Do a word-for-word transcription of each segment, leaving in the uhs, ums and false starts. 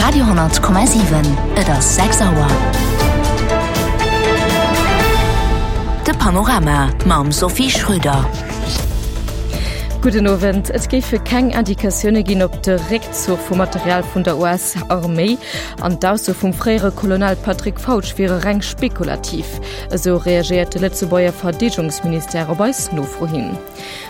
Radio hundert Komma siwen, Et ass sechs Auer. De Panorama mam Sophie Schröder. Gudden Owend. Et géife keng Indikatioune ginn op de Réckzuch vu Material vun der U S-Arméi an d'Ausso vum fréiere Colonel Patrick Fautsch wiere reng spekulativ. Esou reagéiert de Lëtzebuerger Verdeedegungsministère op eis Nofro hin.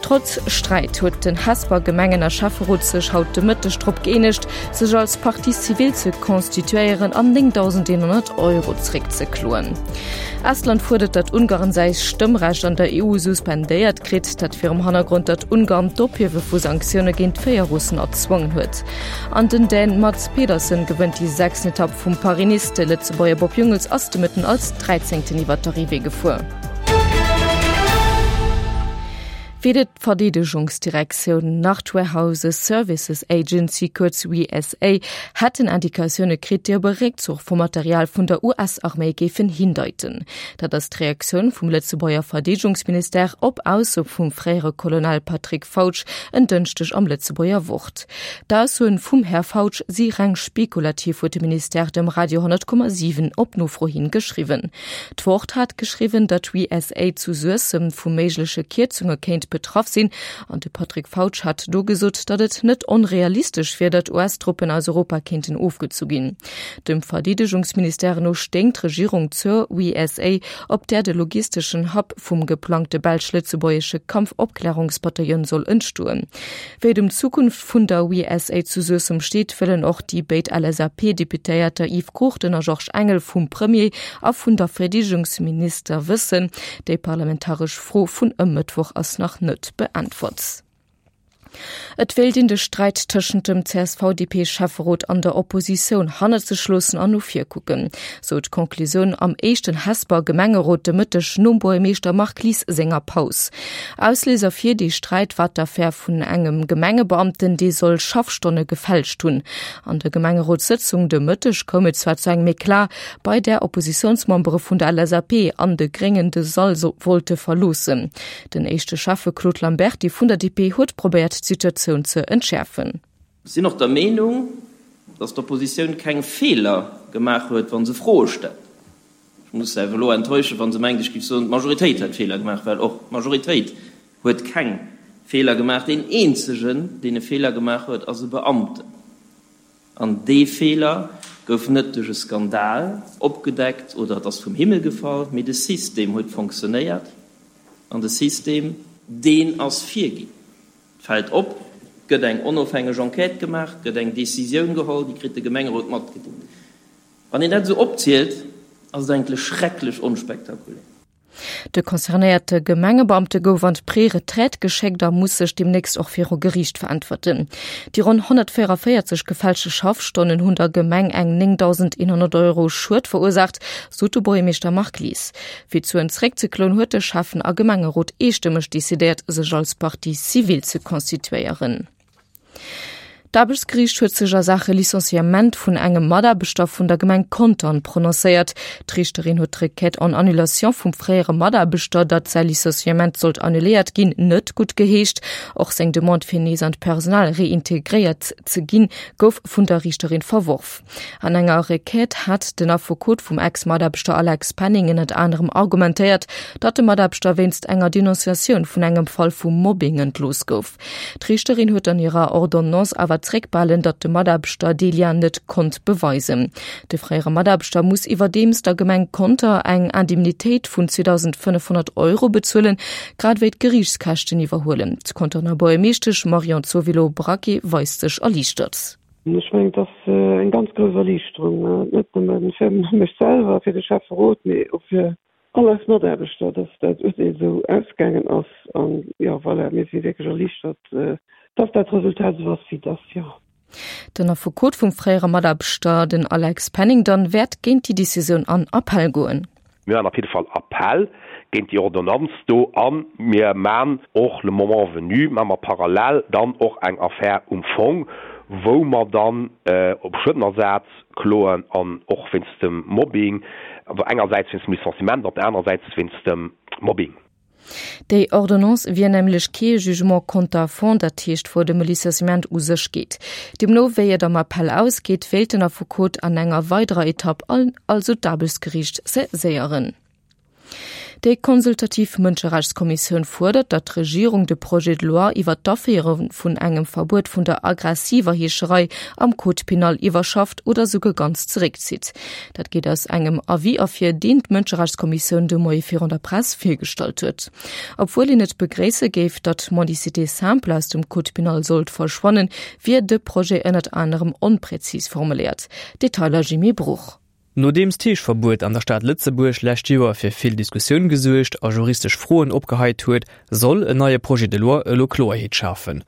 Trotz Sträit huet den Hesper Gemengen a Schäfferot sech haut de Mëtteg drop gëeenegt, sech als Partie civile ze constituéieren an néngdausendeenhonnert Euro zréckzekloen. Estland fuerdert, datt Ungarn säi Stëmmrecht an der E U suspendéiert kritt, dat virum Hannergrond, datt Ungarn d'Ophiewe vu Sanktioune géint véier Russen erzwongen huet. An den Dän Mads Pedersen gewënnt déi sechsten Etapp vum Paris-Nice. De Lëtzebuerger Bob Jungels ass de Mëtten als Dräizéngten iwwer d'Arrivée gefuer. Weder d'Verdeedegungsdirektioun nach d'Warehouses Services Agency, kuerz W S A, hätten Indikatioune kritt, déi op e Réckzuch vum Material vun der U S-Arméi géifen hindeiten. Dat ass d'Reaktioun vum Lëtzebuerger Verdeedegungsministère op Aussoe vum fréiere Colonel Patrick Fautsch en Dënschdeg am Lëtzebuerger Wort. D'Aussoen vum Här Fautsch si reng spekulativ, huet de Ministère dem Radio hundert Komma siwen op Nofro hin geschriwwen. D'Wort hat geschriwwen, datt d'W S A zu Suessem vu méigleche Kierzunge kéint betraff sinn an de Patrick Fautsch hat do gesot, datt et net onrealistesch wier, datt U S-Truppen aus Europa kéinten ofgezu ginn. Dem Verdeedegungsministère no stéing d'Regierung zur W S A, op där de logisteschen Hub vum geplangte belsch-lëtzebuergesche Kampfopklärungsbataillon soll entstoen. Wéi et ëm d'Zukunft vun der W S A zu Suessem steet, wëllen och déi béid L S A P-Deputéierter Yves Cruchten a Georges Engel vum Premier a vun der Verdeedegungsminister wëssen. Déi parlamentaresch Fro vun e Mëttwoch ass nach net beäntwert. Et wéilt een de Sträit tëschent dem C S V-D P-Schäfferot an der Oppositioun hannert sech loossen an no vir kucken. Sou d'Konklusioun am éischten Hesper Gemengerot de Mëtteg nom Buergermeeschter Marc Lies senger Paus. Ausléiser fir de Sträit war d'Affär vun engem Gemengebeamten, dee soll Schaffstonne gefälscht hunn. An der Gemengerotssëtzung de Mëtteg koum et zwar zu engem Eklat, bei där Oppositiounsmembere vun der L S A P an de Gréngen de Sall wollte verloossen. Den éischte Schäffe Claude Lamberty vun der D P huet probéiert, d'Situatioun ze entschäerfen. Ech sinn och der Meenung, datt d'Oppositioun keng Feeler gemaach huet, wa se Froe stellt. Ech muss se awer elo enttäuschen, wa se mengt, ech géif soen, d'Majoritéit hätt Feeler gemaach, well och d'Majoritéit huet keng Feeler gemaach. Deen eenzegen, deen e Feeler gemaach huet, ass e Beamten. An dee Feeler gouf net duerch e Skandal opgedeckt oder et ass vum Himmel gefall, mee de System huet fonctionnéiert an de System, deen ass virginn. Et fält op, et gëtt eng onofhängeg Enquête gemaach, et gëtt eng Decisioun geholl, déi kritt de Gemengerot matgedeelt. Wann een dat esou opzielt, ass et eigentlech schrecklech onspektakulär. De concernéierte Gemengebeamte gouf an d'Préretraite geschéckt a muss sech deemnächst och viru Geriicht veräntwerten. Déi ronn honnertvéierenvéierzeg gefälschte Schaffstonnen hunn der Gemeng eng néngdausendeenhonnert Euro Schued verursaacht, sot de Buergermeeschter Marc Lies. Fir d'Suen zréckzekloen, huet de Schäffen a Gemengerot eestëmmeg decidéiert, sech als Partie civile ze constituéieren. D'Aarbechtsgeriicht huet sech a Saache Licenciement vun engem Mataarbechter vun der Gemeng Contern prononcéiert. D'Riichterin huet d'Requête en annulation vum fréiere Mataarbechter, datt säi Licenciement sollt annuléiert ginn, net guttgeheescht. Och seng Demande fir nees an d'Personal reintegréiert ze ginn, gouf vun der Riichterin verworf. An enger Requête hat den Affekot vum Ex-Mataarbechter Alex Penning ënnert anerem argumentéiert, datt de Mataarbechter wéinst enger Denonciatioun vun engem Fall vu Mobbing entlooss gouf. D'Riichterin huet an hirer Ordonnance awer zréckbehalen, datt de Mataarbechter dee Lien net konnt beweisen. De fréiere Mataarbechter muss iwwerdeems der Gemeng Conter eng Indemnitéit vun zweedausendfënnefhonnert Euro bezuelen, grad ewéi d'Geriichtskäschten iwwerhuelen. D'Conterner Buergermeeschtesch Marion Zovillo-Braquet weist sech erliichtert. Ech mengen, dat ass eng ganz grouss Erliichterung, net nëmme fir mech selwer, fir de Schäfferot, mee och fir all eis Mataarbechter, datt dat Urteel esou ausgaangen ass. An jo, voilà, mir si wierklech erliichtert, datt dat Resultat esou ass, wéi et ass, jo. Den Affekot vum fréiere Mataarbechter, den Alex Penning, dann wäert géint déi Decisioun an Appell goen. Mir maachen op jidde Fall Appell géint déi Ordonnanz do a mir maachen och le moment venu, maache mer parallel dann och eng Affär um Fong, wou mer dann op Schuedenersaz kloen an och wéinst dem Mobbing, also engersäits wéinst dem Licenciement, op der anerer Säit wéinst dem Mobbing. Déi Ordonnance wier nämlech kee Jugement contra fond, dat heescht wou et ëm e Licenciement u sech geet. Deemno wéi et am Appell ausgeet, wéilt den Affekot an enger weiderer Etapp also d'Aarbechtsgeriicht saiséieren. Déi konsultativ Mënscherechtskommissioun fuerdert, datt d'Regierung de Projet de loi iwwer d'Aféiere vun engem Verbuet vun der aggressiver Heescherei am Code pénal iwwerschafft oder souguer ganz zeréckzitt. Dat geet aus engem Avis ervir, deen d'Mënscherechtskommissioun de Moie virun der Press virgestallt huet. Obwuel een et begréisse géif, datt d'Mendicité simple aus dem Code pénal sollt verschwannen, wier de Projet ënnert anerem onpräzis formuléiert. Detailer Jimmy Bruch. Nodeems d'Heeschverbuet an der Stad Lëtzebuerg lescht Joer fir vill Diskussioun gesuergt a juristesch Froen opgeheit huet, soll en neie Projet de loi elo Kloerheet schafen.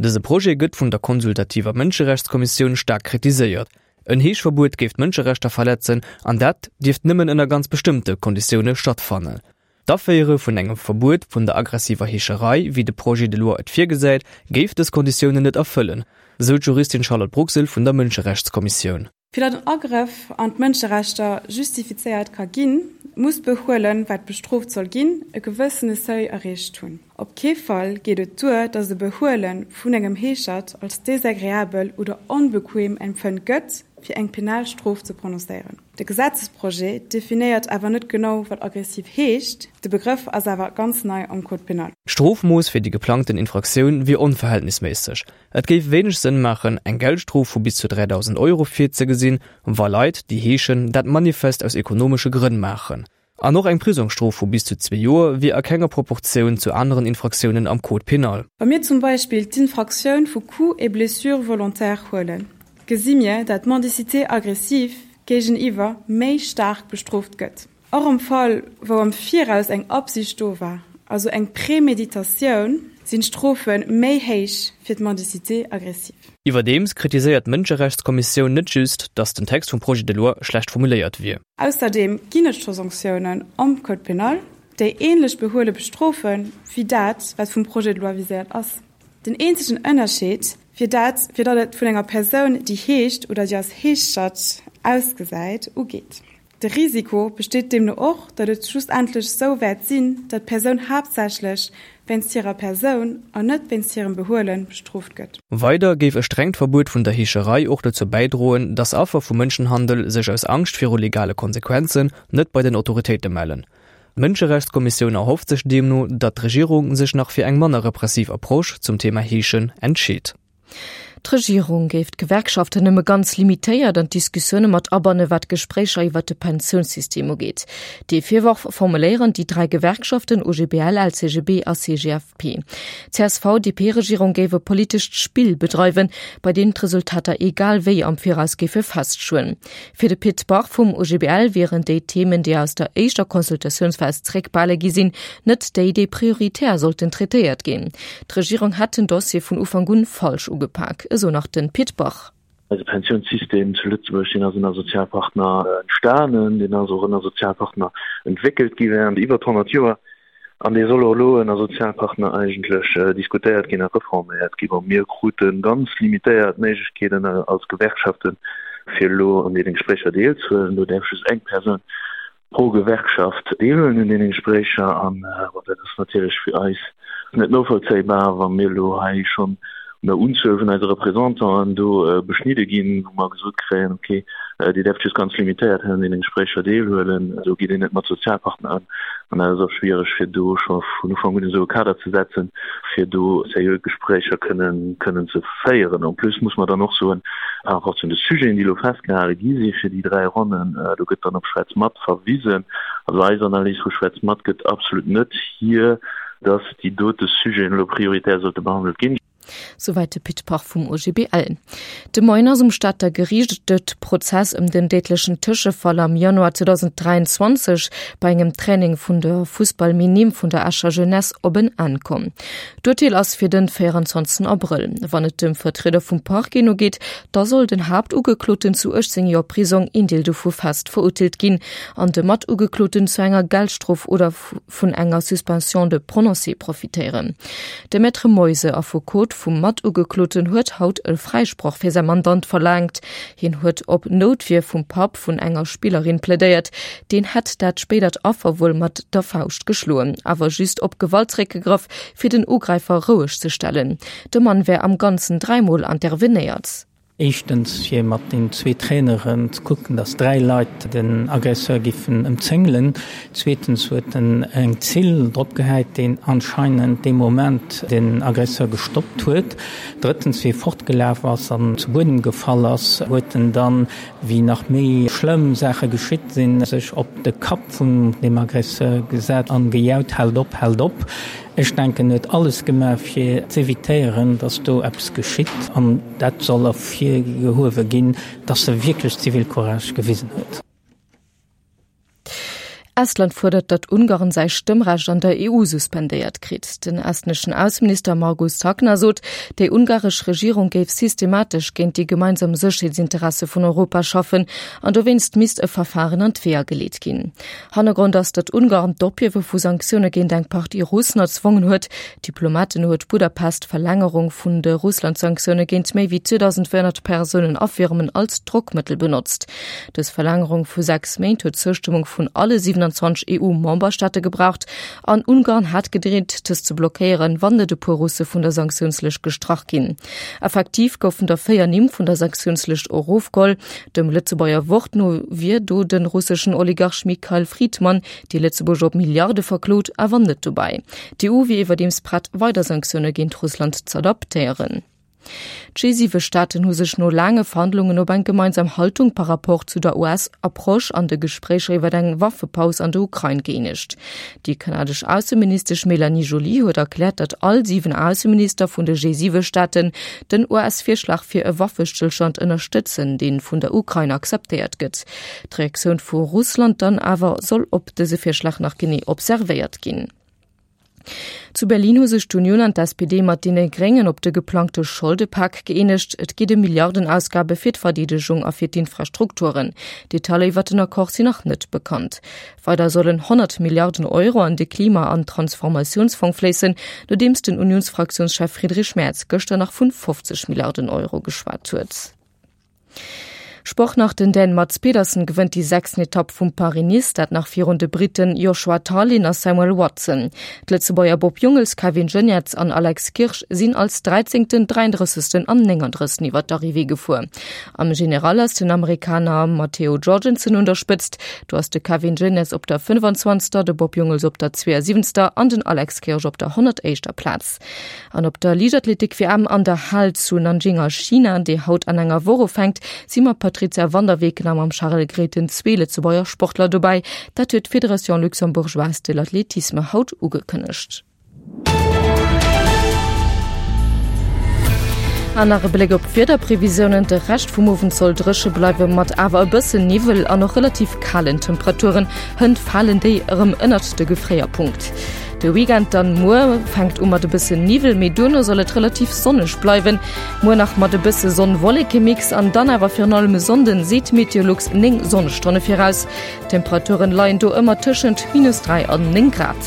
Dëse Projet gëtt vun der konsultativer Mënscherechtskommissioun staark kritiséiert. En Heeschverbuet géif d'Mënscherechter verletzen an dat dierft nëmmen ënner ganz bestëmmte Konditioune stattfannen. D'Aféiere vun engem Verbuet vun der aggressiver Heescherei, wéi de Projet de loi et virgesäit, géif dës Konditiounen net erfëllen, sou d'Juristin Charlotte Bruxel vun der Mënscherechtskommissioun. Fir datt en Agrëff an d'Mënscherechter justifizéiert ka ginn, muss d'Behuelen, wat bestrooft soll ginn, e gewëssene Seuil erreecht hunn. Op kee Fall geet et duer, datt e Behuele vun engem Heeschert als desagreabel oder onbequem empfënnt gëtt, fir eng penal Strof ze prononcéieren. De Gesetzesprojet definéiert awer net genau, wat aggressiv heescht, de Begrëff ass awer ganz nei am Code pénal. D'Strofmooss fir déi geplangten Infraktioun wier onverhältnisméisseg. Et géif wéineg Sënn maachen, eng Geldstrof vu bis zu dräidausend Euro virzegesinn, wa Leit, déi heeschen, dat manifest aus ekonomesche Grënn maachen. An och eng Prisongsstrof vu bis zu zwee Joer wier a kenger Proportioun zu aneren Infraktiounen am Code pénal. Wa mir zum Beispill d'Infraktioun vu Coups et blessures volontaires huelen, gesi mir, dat d'Mendicité aggressive géigeniwwer méi staark bestrooft gëtt. Och am Fall, wou am Viraus eng Absicht do war, also eng Préméditatioun, sinn d'Strofe méi héich fir d'Mendicité aggressive. Iwwerdeems kritiséiert d'Mënscherechtskommissioun net just, datt den Text vum Projet de loi schlecht formuléiert wier. Ausserdeem ginn et scho Sanktiounen am Code pénal, déi änlech Behuele bestrofen, wéi dat, wat vum Projet de loi viséiert ass. Den eenzegen Ënnerscheed wier dat, fir datt et vun enger Persoun, déi heescht oder déi als Heeschert ausgesäit, ugeet. De Risiko besteet deemno och, datt et schlussendlech sou wäert sinn, datt d'Persoun haaptsächlech wéinst hirer Persoun an net wéinst hirem Behuele bestrooft gëtt. Weider géif e strengt Verbuet vun der Heescherei och dozou bäidroen, datt Affer vu Mënschenhandel sech aus Angscht viru legale Konsequenzen net bei den Autoritéite mellen. D'Mënscherechtskommissioun erhofft sech deemno, datt d'Regierung sech nach fir eng manner repressiv Approche zum Thema Heeschen entscheet. D'Regierung géif d'Gewerkschaften nëmme ganz limitéiert an d'Diskussioune mat abanne wat d'Gespréicher iwwert de Pensiounssystem ugeet. Dee Virworf formuléieren déi dräi Gewerkschaften O G B L, L C G B a C G F P. D'C S V D P-Regierung géif e politescht Spill bedreiwen, bei deem d'Resultater egal wéi am Viraus géife feststoen. Fir de Pit Bach vum O G B L wieren déi Themen, déi aus der éischter Consultatiounsphas zréckbehale gi sinn, net déi, déi prioritär sollten traitéiert ginn. D'Regierung hätt den Dossier vun Ufank un falsch ugepak, esou nach den Pit Bach. Eise Pensiounssystem zu Lëtzebuerg, deen ass ënner Sozialpartner entstanen, deen ass och ënner Sozialpartner entwéckelt gi während iwwer honnert Joer an dee soll och elo ënner Sozialpartner eigentlech diskutéiert ginn a reforméiert ginn. Bon, mir krute ganz limitéiert Méiglechkeeten als Gewerkschaften, fir elo an deene Gespréicher deelzehuelen. Do däerf just eng Persoun pro Gewerkschaft deelhuelen un deene Gespréicher an dat ass natierlech fir eis net novollzéibar, wa mir elo hei schonn un der Unzuel vun eise Représentanten do beschnidde ginn, wou mer gesot kréien, okay, Dir däerft just ganz limitéiert hei un deene Gespréicher deelhuelen. Esou geet een net mat Sozialpartner ëm an dat ass och schwiereg, fir do scho vun Ufank un esou e Kader ze setzen, fir do seriö Gespréicher kënnen kënnen ze féieren. En plus muss mer dann och soen, par rapport zu de Sujeten, déi elo festgehale gi si fir déi dräi Ronnen, do gëtt dann op Schwätz mat verwisen. Also eis Analys vu Schwätz mat gëtt absolut net hier, dass déi dote Sujeten elo prioritär sollte behandelt ginn. Souwäit de Pit Bach vum O G B L. De Moien ass um Stater Geriicht de Prozess ëm den déidlechen Tëschefall am Januar zweedausend dräianzwanzeg bei engem Training vun der Fussball-Minime vun der Escher Jeunesse op en Enn komm. D'Urteel ass fir den véierundzwanzegsten Abrëll. Wann et dem Vertrieder vum Parquet no geet, da soll den Haaptugekloten zu uechtzéng Joer Prisong, een Deel dovu fest, verurteelt ginn an de Matugekloten zu enger Geldstrof oder vun enger Suspension de prononcé profitéieren. De Maître Moise, Affekot vum Matugekloten huet haut e Fräisproch fir säi Mandant verlaangt. Hien huet op Noutwier vum Papp vun enger Spillerin plädéiert. Deen hätt dat spéidert Affer wuel mat der Fauscht geschloen, awer just op Gewalt zeréckgegraff, fir den Ugräifer roueg ze stellen. De Mann wär am Ganzen dräimol intervenéiert. Éischtens fir mat den zwee Traineren ze kucken, datt dräi Leit den Aggresseur giffen ëmzéngelen. Zweetens huet en eng Zill drop gehäit, deen anscheinend dee Moment den Aggresseur gestoppt huet. Drëttens, wéi e fortgelaf ass an zu Buedem gefall ass, huet en dann, wéi nach méi schlëmm Saache geschitt sinn, sech op de Kapp vun deem Aggresseur gesat an gejaut, Haalt op, haalt op! Ech denken, en huet alles gemaach, fir z'evitéieren, datt do eppes geschitt. An dat soll ervirgehuewe ginn, datt e wierklech Zivilcourage gewisen huet. Estland fuerdert, datt Ungarn säi Stëmmrecht an der E U suspendéiert kritt. Den estneschen Ausseminister Margus Tsahkna sot, déi ungaresch Regierung géif systematesch géint déi gemeinsam Sécherheetsinteresse vun Europa schaffen an dowéinst misst e Verfaren an d'Weeër geleet ginn. Hannergrond ass, datt Ungarn d'Ophiewe vu Sanktioune géint eng Partie Russen erzwongen huet. Diplomaten no huet Budapest d'Verlängerung vun de Russland-Sanktioune géint méi wéi zweedausendvéierhonnert Persounen a Firmen als Drockmëttel benotzt. Dës Verlängerung vu sechs Méint huet d'Zoustëmmung vun alle siewenundzwanzeg E U-Memberstaate gebraucht an Ungarn hat gedreet, dës ze blockéieren, wann net e puer Russe vun der Sanktiounslëscht gestrach ginn. Effektiv goufen der véier Nimm vun der Sanktiounslëscht erofgeholl. Dem Lëtzebuerger Wort no wier do de russeschen Oligarch Mikhail Fridman, dee Lëtzebuerg op Milliarde verklot, awer net dobäi. D'E U wier iwwerdeems prett, weider Sanktioune géint Russland z'adaptéieren. D'G siwe Staaten hu sech no laange Verhandlungen op eng gemeinsam Haltung par rapport zu der U S-Approche an de Gespréicher iwwer eng Waffepaus an der Ukrain gëeenegt. Déi kanadesch Ausseministesch Mélanie Joly huet erkläert, datt all siwen Ausseminister vun de G siwe Staaten den U S-Virschlag fir e Waffestëllstand ënnerstëtzen, dee vun der Ukrain akzeptéiert gëtt. D'Reaktioun vu Russland dann awer soll op dëse Virschlag nach genee observéiert ginn. Zu Berlin hu sech d'Unioun an d'S P D mat deene Gréngen op de geplangte Scholdepak gëeenegt. Et geet ëm Milliardenausgabe fir d'Verdeedegung a fir d'Infrastrukturen. Detailer iwwer den Accord sinn nach net bekannt. Weider sollen honnert Milliarden Euro an de Klima an Transformatiounsfong fléissen, nodeems den Unionsfraktiounschef Friedrich Merz gëschter nach vun fofzeg Milliarden Euro geschwat huet. Sport nach, Den Dän Mads Pedersen gewënnt déi sechsten Etapp vum Paris-Nice, dat nach virun de Briten Joshua Tarling a Samuel Watson. D'Lëtzebuerger Bob Jungels, Kevin Geniets an Alex Kirsch sinn als dräizéngten, dräiandrëssegsten an néngandrëssegsten iwwer d'Arrivée gefuer. Am General ass den Amerikaner Matteo Jorgenson un der Spëtzt, do ass de Kevin Geniets op der fënnfanzwanzegster, de Bob Jungels op der zweeënsiwwenzegster an den Alex Kirsch op der honnertéischter Plaz. An op der Liichtathletik-W M an der Hal zu Nanjing a China, déi haut an enger Woch ufänkt, si mam Patrizia van der Weken a mam Charel Grethen zwee Lëtzebuerger Sportler dobäi. Dat huet d'Fédération luxembourgeoise de l'athlétisme haut ugekënnegt. An nach e Bléck op d'Wiederprevisiounen, De Rescht vum Owend soll dréche bleiwe mat awer e bëssen Niwwel an och relativ kalen Temperaturen. Hënt falen déi erëm ënnert de Gefréierpunkt. De Weekend dann muer fänkt u mat e bëssen Niwwel, mee duerno soll et relativ sonneg bleiwen. Muer nach mat e bësse Sonn-Wolleke-Mix an dann awer virun allem e Sonnden seet Meteolux néng Sonnestonne viraus. D'Temperaturen leien do ëmmer tëschent minus dräi an néng Grad.